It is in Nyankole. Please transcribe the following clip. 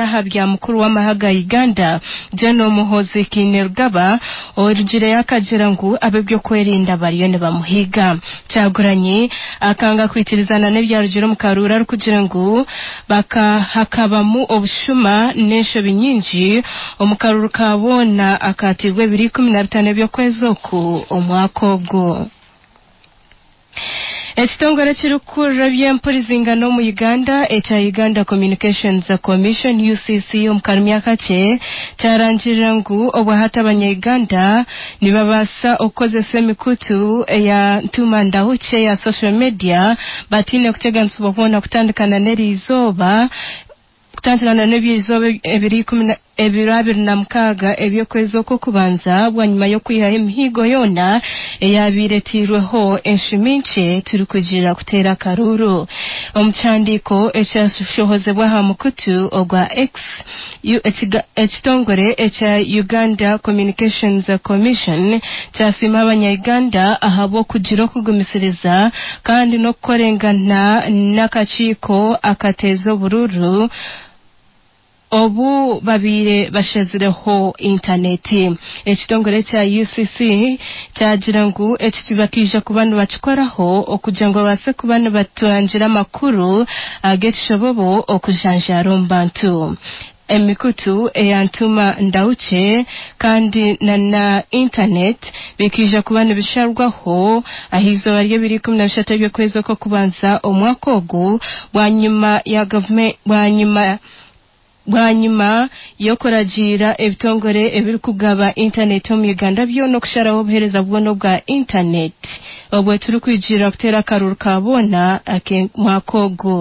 N'aha bya mukuru w'amahe ga Uganda, General Muhoozi Kainerugaba orugireyo akagira ngu ab'ebyokwerinda bariyo nibamuhiiga. Kyagulanyi akanga kwikirizana n'ebyarugire omu karuuru arikugira ngu hakabamu obushuma n'enshobi nyingi omu karuuru ka boona akaateirwe ebiro 15 eby'okwezi oku omwaka ogu. Ekitongore ekirikukurira eby'empurizingano omu Uganda ekya Uganda Communications Commission, UCC, omu karumi akakye kyarangirira ngu obwahati abanya-Uganda nibabaasa okukozesa emikutu eya ntuma ndahukye eya social media bataine kuteganisibwa kwona kutandikana n'eriizooba kutandikana n'eby'eizooba ebiro ikumi na ebiro 26 eby'okwezi okw'okubanza bwanyima y'okwihaho emihigo yoona eyaabaire etairweho enshumi nkye turikugira kuteera akaruuru. Omu kihandiiko ekyashohozibwa aha mukutu ogwa X, ekitongore ekya Uganda Communications Commission kyasiima abanya-Uganda ahabw'okugira okugumisiriza kandi n'okukorengana n'akakiiko akateeza oburuuru obu babaire bashazireho intaneti. Ekitongore ekya UCC kyagira ngu eki bakiija kuba nibakikoraho okugira ngu babaase kuba nibatangira amakuru ag'ekishobobo okujanjaara omu bantu. Emikutu eya ntuma ndahukye kandi na na intaneti bikaija kuba nibisharwaho aha izooba ry'ebiro 13 eby'okwezi okw'okubanza omwaka ogu bwanyima ya bwanyima bwanyima y'okuragiira ebitongore ebirikugaba intaneti omu Uganda byona okusharaho obuheereza bwona obwa intaneti obwo turikwigiirira kuteera akaruuru ka boona ak'omwaka ogu.